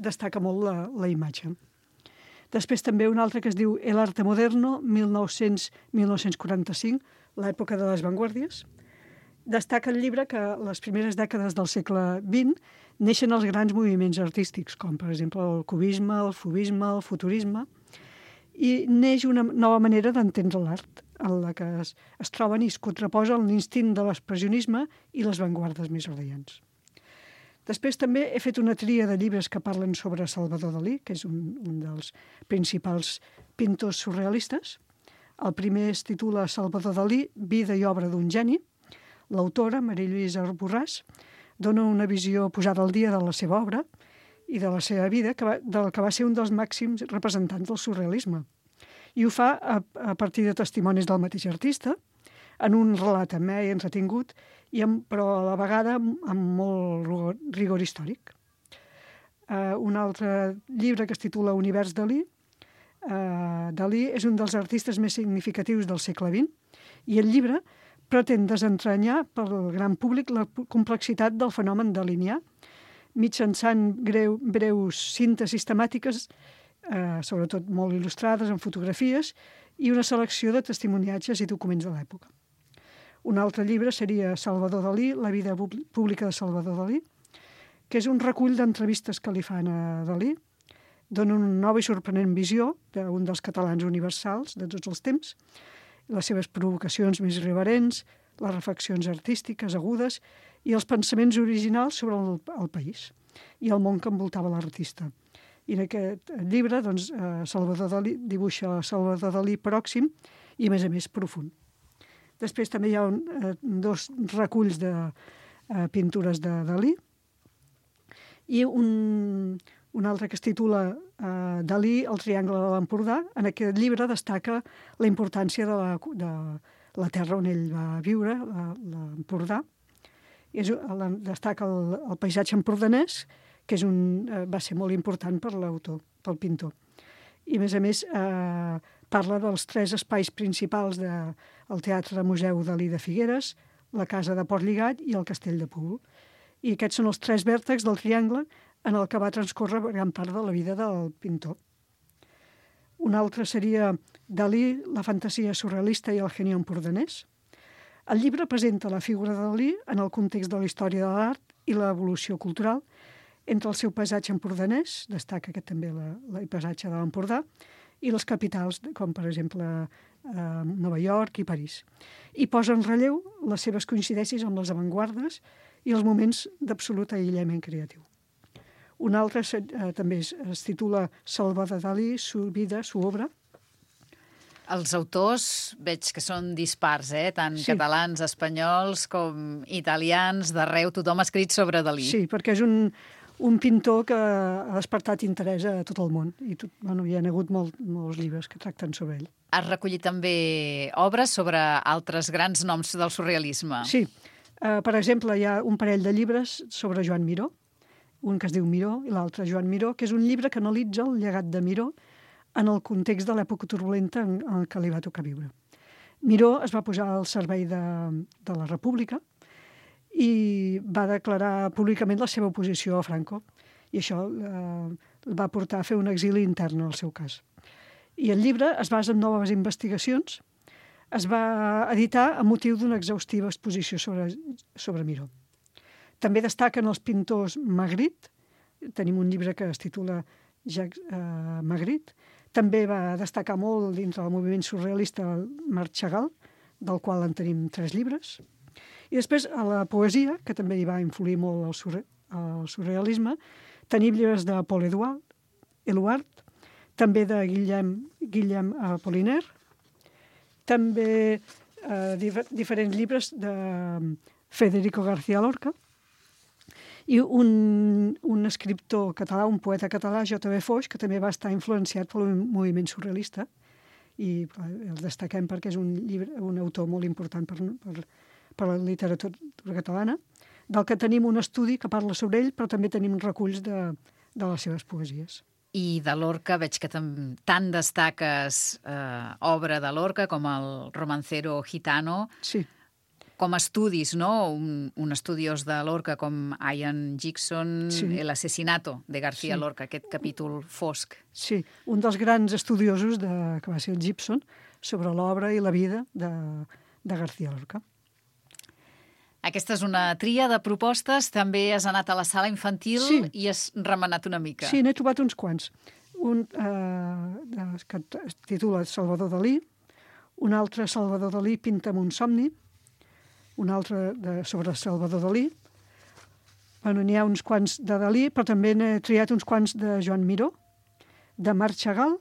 destaca molt la imatge. Després també un altre que es diu El arte moderno, 1900-1945, l'època de les vanguardies. Destaca el llibre que les primeres dècades del segle XX neixen els grans moviments artístics, com per exemple el cubisme, el fubisme, el futurisme, i neix una nova manera d'entendre l'art, en la que es troben i es contraposen l'instint de l'expressionisme i les vanguardes més radiants. Després també he fet una tria de llibres que parlen sobre Salvador Dalí, que és un dels principals pintors surrealistes. El primer es titula Salvador Dalí, vida i obra d'un geni. L'autora, Maria Lluïsa Borràs, dona una visió posada al dia de la seva obra i de la seva vida, del que va ser un dels màxims representants del surrealisme. I ho fa a partir de testimonis del mateix artista, en un relat amè i entretingut, però a la vegada amb molt rigor històric. Un altre llibre que es titula Univers Dalí. Dalí és un dels artistes més significatius del segle XX i el llibre pretén desentranyar pel gran públic la complexitat del fenomen dalinià, mitjançant breus síntesis temàtiques, sobretot molt il·lustrades en fotografies, i una selecció de testimoniatges i documents de l'època. Un altre llibre seria Salvador Dalí, la vida pública de Salvador Dalí, que és un recull d'entrevistes que li fan a Dalí, dona una nova i sorprenent visió d'un dels catalans universals de tots els temps, les seves provocacions més irreverents, les reflexions artístiques agudes i els pensaments originals sobre el país i el món que envoltava l'artista. I en aquest llibre, doncs, Salvador Dalí dibuixa Salvador Dalí pròxim i, a més, profund. Després també hi ha dos reculls de pintures de Dalí i un altre que es titula Dalí, el triangle de l'Empordà. En aquest llibre destaca la importància de la terra on ell va viure, l'Empordà. Destaca el paisatge empordanès, que va ser molt important per l'autor, pel pintor. I, a més, parla dels 3 espais principals del Teatre Museu Dalí de Figueres, la Casa de Portlligat i el Castell de Púbol. I aquests són els 3 vèrtexs del triangle en el que va transcórrer gran part de la vida del pintor. Un altre seria Dalí, la fantasia surrealista i el geni empordanès. El llibre presenta la figura de Dalí en el context de la història de l'art i l'evolució cultural. Entre el seu paisatge empordanès, destaca també el paisatge de l'Empordà, i les capitals, com per exemple Nova York i París. I posa en relleu les seves coincidències amb les avantguardes i els moments d'absolut aïllament creatiu. Un altre també es titula Salvador Dalí, su vida, su obra. Els autors veig que són dispars, tant catalans, espanyols com italians, d'arreu tothom ha escrit sobre Dalí. Sí, perquè és un pintor que ha despertat interès a tot el món i hi ha hagut molts llibres que tracten sobre ell. Has recollit també obres sobre altres grans noms del surrealisme. Sí. Per exemple, hi ha un parell de llibres sobre Joan Miró, un que es diu Miró i l'altre Joan Miró, que és un llibre que analitza el llegat de Miró en el context de l'època turbulenta en què li va tocar viure. Miró es va posar al servei de la República i va declarar públicament la seva oposició a Franco. I això el va portar a fer un exili intern en el seu cas. I el llibre es basa en noves investigacions. Es va editar a motiu d'una exhaustiva exposició sobre Miró. També destaquen els pintors Magritte. Tenim un llibre que es titula Jacques Magritte. També va destacar molt dintre del moviment surrealista Marc Chagall, del qual en tenim 3 llibres. I després, a la poesia, que també hi va influir molt el surrealisme, tenim llibres de Paul Éluard, també de Guillem Apollinaire, també diferents llibres de Federico García Lorca, I un escriptor català, un poeta català, J.B. Foix, que també va estar influenciat pel moviment surrealista, i el destaquem perquè és un autor molt important per la literatura catalana, del que tenim un estudi que parla sobre ell, però també tenim reculls de les seves poesies. I de Lorca veig que tant destaques obra de Lorca com el Romancero Gitano. Sí. Com estudis, no? Un estudiós de Lorca com Ian Gibson, Sí. El asesinato de García Sí. Lorca, aquest capítol fosc. Sí, un dels grans estudiosos que va ser el Gibson sobre l'obra i la vida de García Lorca. Aquesta és una tria de propostes. També has anat a la sala infantil i has remenat una mica. Sí, n'he trobat uns quants. Un que es titula Salvador Dalí, un altre Salvador Dalí pinta'm un somni, un altre sobre Salvador Dalí. Bueno, n'hi ha uns quants de Dalí, però també n'he triat uns quants de Joan Miró, de Marc Chagall,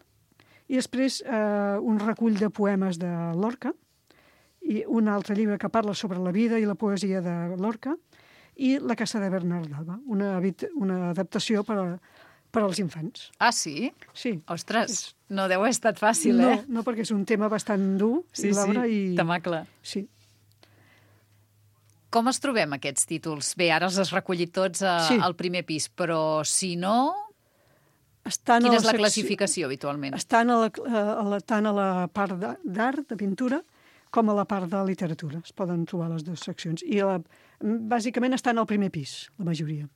i després un recull de poemes de Lorca, i un altre llibre que parla sobre la vida i la poesia de Lorca, i La casa de Bernard Alba, una adaptació per als infants. Ah, sí? Sí. Ostres, no deu haver estat fàcil, eh? No, perquè és un tema bastant dur, l'obra, i temacle. Sí. Com es trobem aquests títols? Bé, ara els has recollit tots al primer pis, però si no... Quina és la classificació, habitualment? Estan tant a la part d'art, de pintura, com a la part de literatura. Es poden trobar les dues seccions. I bàsicament estan al primer pis, la majoria.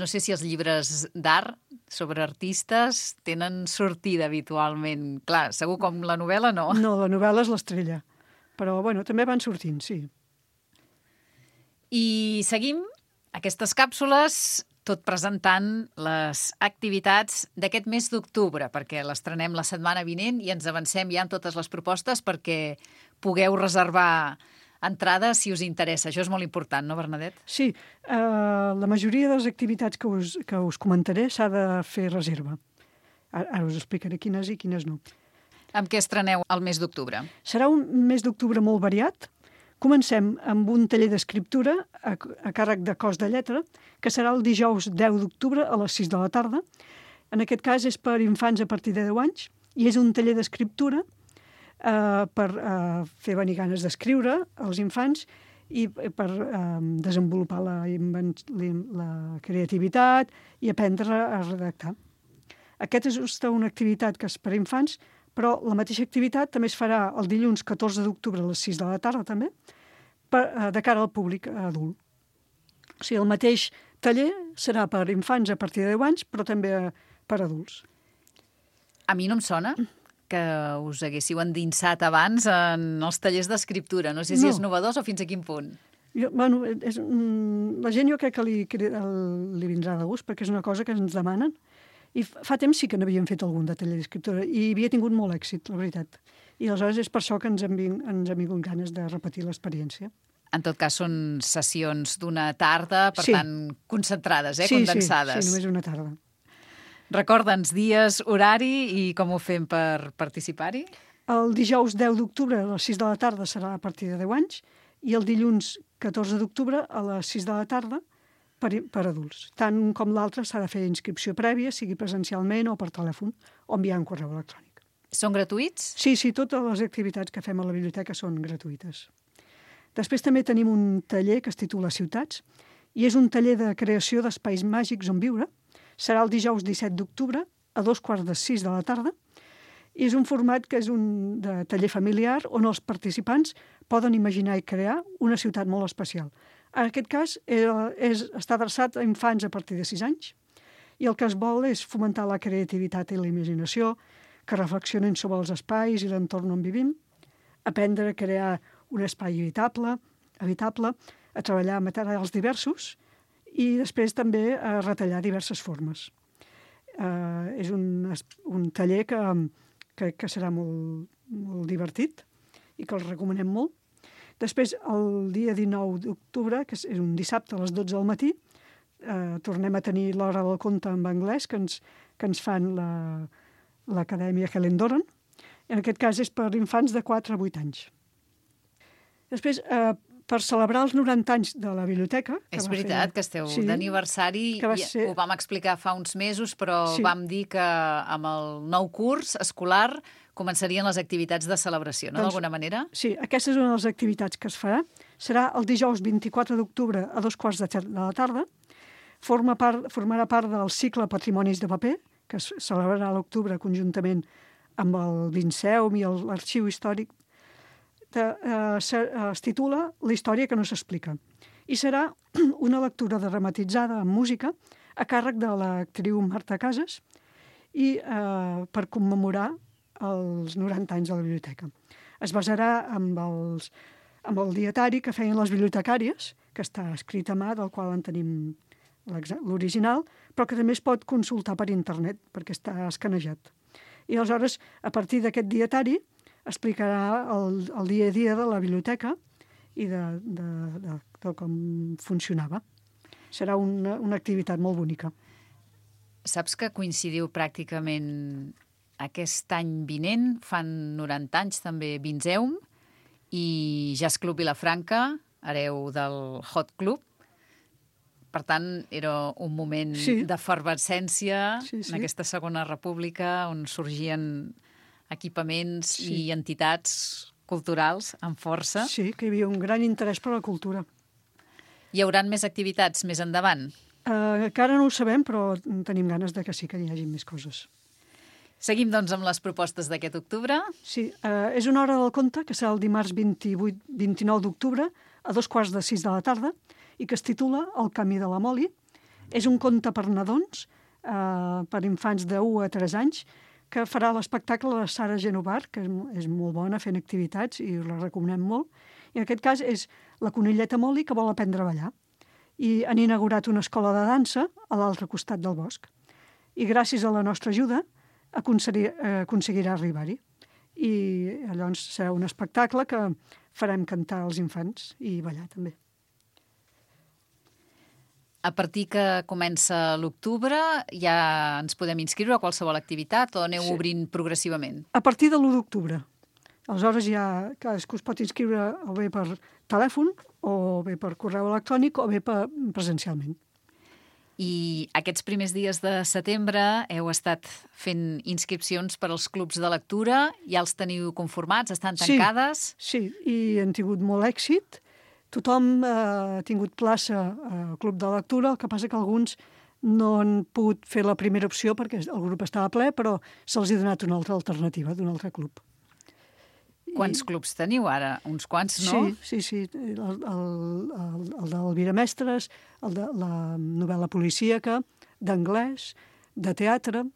No sé si els llibres d'art sobre artistes tenen sortida habitualment. Clar, segur com la novel·la no. No, la novel·la és l'estrella. Però, bueno, també van sortint, sí. I seguim aquestes càpsules tot presentant les activitats d'aquest mes d'octubre, perquè l'estrenem la setmana vinent i ens avancem ja amb totes les propostes perquè pugueu reservar entrades si us interessa. Això és molt important, no, Bernadette? Sí, la majoria de les activitats que us comentaré s'ha de fer reserva. Ara us explicaré quines i quines no. Amb què estreneu el mes d'octubre? Serà un mes d'octubre molt variat. Comencem amb un taller d'escriptura a càrrec de Cos de Lletra, que serà el dijous 10 d'octubre a les 6 de la tarda. En aquest cas és per infants a partir de 10 anys i és un taller d'escriptura per fer venir ganes d'escriure als infants i per desenvolupar la creativitat i aprendre a redactar. Aquesta és una activitat que és per infants, però la mateixa activitat també es farà el dilluns 14 d'octubre a les 6 de la tarda, també, de cara al públic adult. O sigui, el mateix taller serà per infants a partir de 10 anys, però també per adults. A mi no em sona que us haguéssiu endinsat abans en els tallers d'escriptura. No sé si és novedós o fins a quin punt. La gent jo crec que li vindrà de gust, perquè és una cosa que ens demanen. I fa temps sí que n'havíem fet algun de taller d'escriptura i havia tingut molt èxit, la veritat. I aleshores és per això que ens han vingut ganes de repetir l'experiència. En tot cas, són sessions d'una tarda, per tant, concentrades, condensades. Sí, només una tarda. Recorda'ns dies, horari i com ho fem per participar-hi? El dijous 10 d'octubre a les 6 de la tarda serà a partir de 10 anys i el dilluns 14 d'octubre a les 6 de la tarda per adults. Tant un com l'altre s'ha de fer inscripció prèvia, sigui presencialment o per telèfon, o enviar un correu electrònic. Són gratuïts? Sí, totes les activitats que fem a la biblioteca són gratuïtes. Després també tenim un taller que es titula Ciutats, i és un taller de creació d'espais màgics on viure. Serà el dijous 17 d'octubre a 5:45 de la tarda, i és un format que és un de taller familiar on els participants poden imaginar i crear una ciutat molt especial. En aquest cas, està adreçat a infants a partir de 6 anys i el que es vol és fomentar la creativitat i la imaginació, que reflexionin sobre els espais i l'entorn on vivim, aprendre a crear un espai habitable, a treballar amb materials diversos i després també a retallar diverses formes. És un taller que crec que serà molt divertit i que el recomanem molt. Després, el dia 19 d'octubre, que és un dissabte a les 12 del matí, tornem a tenir l'hora del conte en anglès que ens fan l'Acadèmia Helen Doran. En aquest cas és per infants de 4 a 8 anys. Després, per celebrar els 90 anys de la biblioteca. És veritat que esteu d'aniversari, ho vam explicar fa uns mesos, però vam dir que amb el nou curs escolar començarien les activitats de celebració, no, d'alguna manera? Sí, aquesta és una de les activitats que es farà. Serà el dijous 24 d'octubre a 2:15 de la tarda. Formarà part del cicle Patrimonis de paper, que es celebrarà a l'octubre conjuntament amb el Vinceum i l'Arxiu Històric. Es titula La història que no s'explica. I serà una lectura dramatitzada amb música a càrrec de l'actriu Marta Casas i per commemorar els 90 anys de la biblioteca. Es basarà amb el dietari que feien les bibliotecàries, que està escrit a mà, del qual en tenim l'original, però que també es pot consultar per internet, perquè està escanejat. I aleshores, a partir d'aquest dietari, explicarà el dia a dia de la biblioteca i de com funcionava. Serà una activitat molt bonica. Saps que coincidiu pràcticament aquest any vinent, fan 90 anys també Vinceum, i Jazz Club Vilafranca, hereu del Hot Club. Per tant, era un moment d'efervescència en aquesta segona república on sorgien equipaments i entitats culturals amb força. Sí, que hi havia un gran interès per la cultura. Hi haurà més activitats més endavant? Encara no ho sabem, però tenim ganes de que sí que hi hagi més coses. Seguim, doncs, amb les propostes d'aquest octubre. Sí, és una hora del conte, que serà el dimarts 29 d'octubre, a 5:15 de la tarda, i que es titula El camí de la Moli. És un conte per nadons, per infants de 1 a 3 anys, que farà l'espectacle de Sara Genovar, que és molt bona fent activitats i la recomanem molt. I en aquest cas és la conilleta Moli que vol aprendre a ballar. I han inaugurat una escola de dansa a l'altre costat del bosc. I gràcies a la nostra ajuda aconseguirà arribar-hi. I llavors serà un espectacle que farem cantar als infants i ballar també. A partir que comença l'octubre ja ens podem inscriure a qualsevol activitat o aneu obrint progressivament? A partir de l'1 d'octubre. Aleshores ja cadascú es pot inscriure o bé per telèfon, o bé per correu electrònic, o bé presencialment. I aquests primers dies de setembre heu estat fent inscripcions per als clubs de lectura, ja els teniu conformats, estan tancades? Sí, i han tingut molt èxit. Tothom ha tingut plaça al club de lectura, el que passa que alguns no han pogut fer la primera opció perquè el grup estava ple, però se'ls ha donat una altra alternativa d'un altre club. Quants clubs teniu ara? Uns quants, no? Sí. El d'Elvira Mestres, el de la novel·la policíaca, d'anglès, de teatre.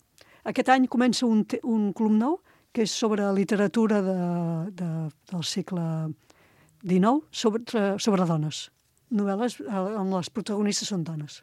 Aquest any comença un club nou, que és sobre literatura del segle XIX, sobre dones. Novel·les on les protagonistes són dones.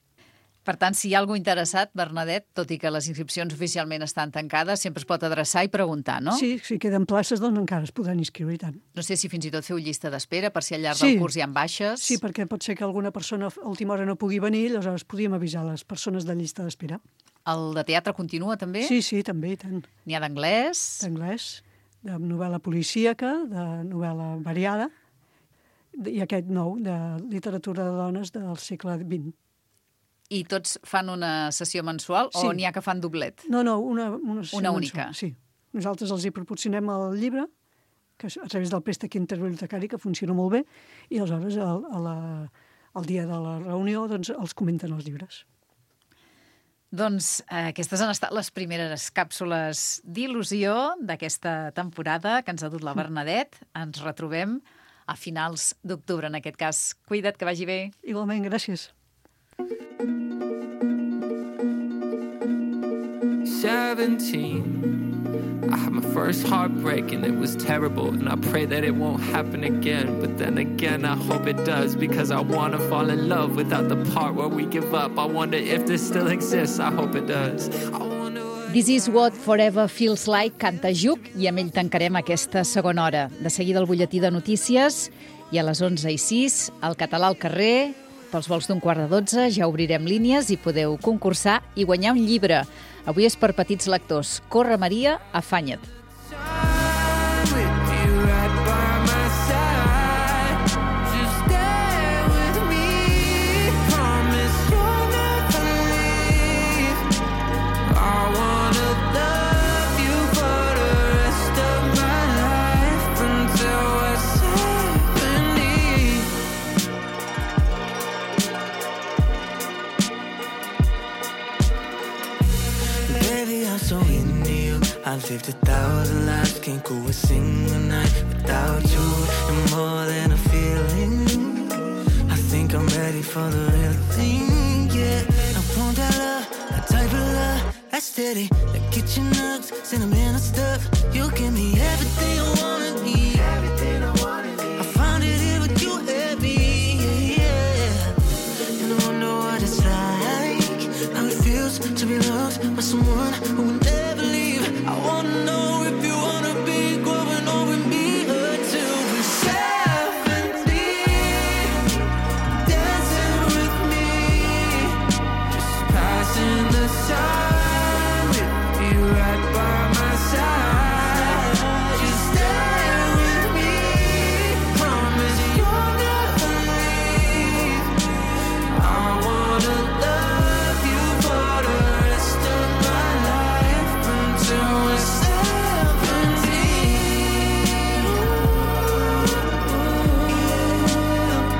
Per tant, si hi ha algú interessat, Bernadette, tot i que les inscripcions oficialment estan tancades, sempre es pot adreçar i preguntar, no? Sí, si queden places, doncs encara es podran inscriure i tant. No sé si fins i tot feu llista d'espera per si al llarg del curs hi ha baixes. Sí, perquè pot ser que alguna persona a última hora no pugui venir, llavors podríem avisar les persones de llista d'espera. El de teatre continua també? Sí, també, i tant. N'hi ha d'anglès? D'anglès, de novel·la policíaca, de novel·la variada, i aquest nou, de literatura de dones del segle XX. I tots fan una sessió mensual o n'hi ha que fan doblet? No, una sessió una única. Mensual, sí. Nosaltres els hi proporcionem el llibre, que a través del préstec interbibliotecari, que funciona molt bé, i aleshores el dia de la reunió doncs, els comenten els llibres. Doncs aquestes han estat les primeres càpsules d'il·lusió d'aquesta temporada que ens ha dut la Bernadette. Ens retrobem a finals d'octubre, en aquest cas. Cuida't, que vagi bé. Igualment, gràcies. 17, I had my first heartbreak and it was terrible, and I pray that it won't happen again, but then again I hope it does, because I want to fall in love without the part where we give up. I wonder if this still exists, I hope it does. This is what forever feels like, canta Juc, i amb ell tancarem aquesta segona hora. De seguida el butlletí de notícies, i a les 11:06 el català al carrer. Pels vols d'11:45 ja obrirem línies i podeu concursar i guanyar un llibre. Avui és per petits lectors. Corre, Maria, afanya't. With you right by my side, just I'm so into you. I've lived 1,000 lives, can't go a single night without you. You're more than a feeling. I think I'm ready for the real thing, yeah. I want that love, a type of love that's steady, like kitchen nugs, sentimental stuff. You give me everything I wanna need. I found it here with you and me, yeah. And I wonder what it's like, how it feels to be loved by someone who will never leave. I wanna know if you wanna be growing old with me until we're 70, dancing with me, just passing the time with you right by my side. Just stay with me, promise you'll never leave. I wanna love you for the rest of my life until we're 70.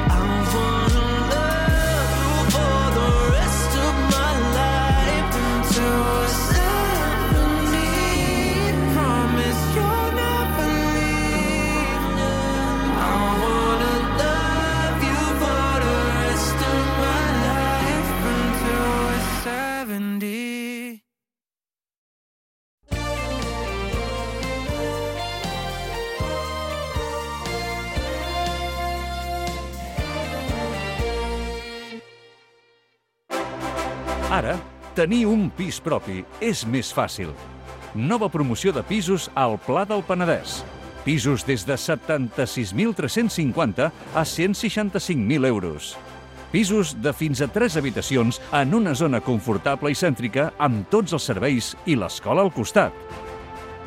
I wanna love you for the rest of my life until we're 70. Promise you'll never leave. I wanna love you for the rest of my life until we're 70. Ara, tenir un pis propi és més fàcil. Nova promoció de pisos al Pla del Penedès. Pisos des de 76.350 a 165.000 euros. Pisos de fins a 3 habitacions en una zona confortable i cèntrica amb tots els serveis i l'escola al costat.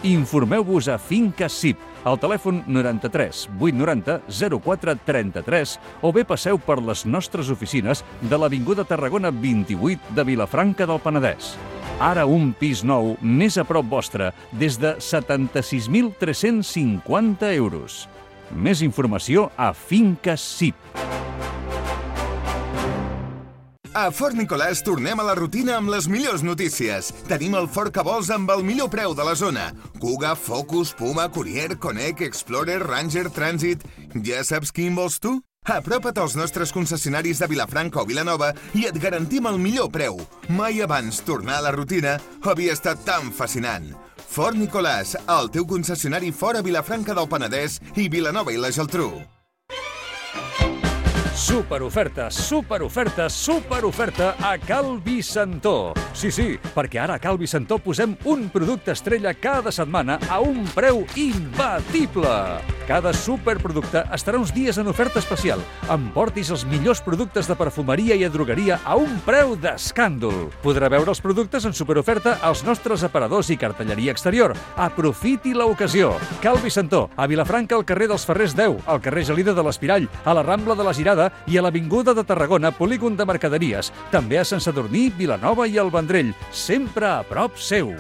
Informeu-vos a Finca CIP, al telèfon 93 890 04 33 o bé passeu per les nostres oficines de l'Avinguda Tarragona 28 de Vilafranca del Penedès. Ara un pis nou més a prop vostre des de 76.350 euros. Més informació a Finca CIP. A Fort Nicolàs tornem a la rutina amb les millors notícies. Tenim el Ford que vols amb el millor preu de la zona. Kuga, Focus, Puma, Courier, Connect, Explorer, Ranger, Transit... Ja saps quin vols tu? Apropa't als nostres concessionaris de Vilafranca o Vilanova i et garantim el millor preu. Mai abans tornar a la rutina havia estat tan fascinant. Fort Nicolàs, el teu concessionari fora Vilafranca del Penedès i Vilanova i la Geltrú. Superoferta, superoferta, superoferta a Cal Vicentó. Sí, perquè ara a Cal Vicentó posem un producte estrella cada setmana a un preu imbatible. Cada superproducte estarà uns dies en oferta especial. Emportis els millors productes de perfumeria i drogueria a un preu d'escàndol. Podrà veure els productes en superoferta als nostres aparadors i cartelleria exterior. Aprofiti l'ocasió. Cal Vicentó, a Vilafranca, al carrer dels Ferrers 10, al carrer Gelida de l'Espirall, a la Rambla de la Girada i a l'Avinguda de Tarragona, polígon de mercaderies. També a Sant Sadurní, Vilanova i el Vendrell, sempre a prop seu.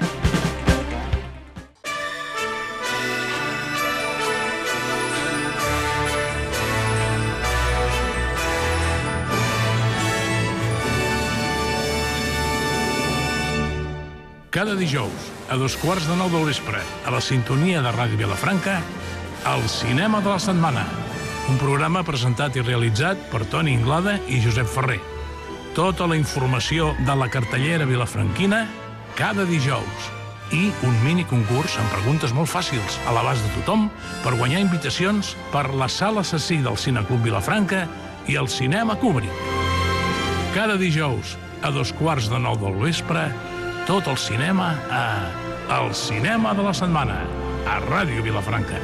Cada dijous, a 8:15 del vespre, a la sintonia de Ràdio Vilafranca, el Cinema de la Setmana. Un programa presentat i realitzat per Toni Inglada i Josep Ferrer. Tota la informació de la cartellera vilafranquina cada dijous. I un miniconcurs amb preguntes molt fàcils a l'abast de tothom per guanyar invitacions per la Sala Assassí del Cineclub Vilafranca i el Cinema Kubrick. Cada dijous, a 8:15 del vespre, tot el cinema a El Cinema de la Setmana, a Ràdio Vilafranca.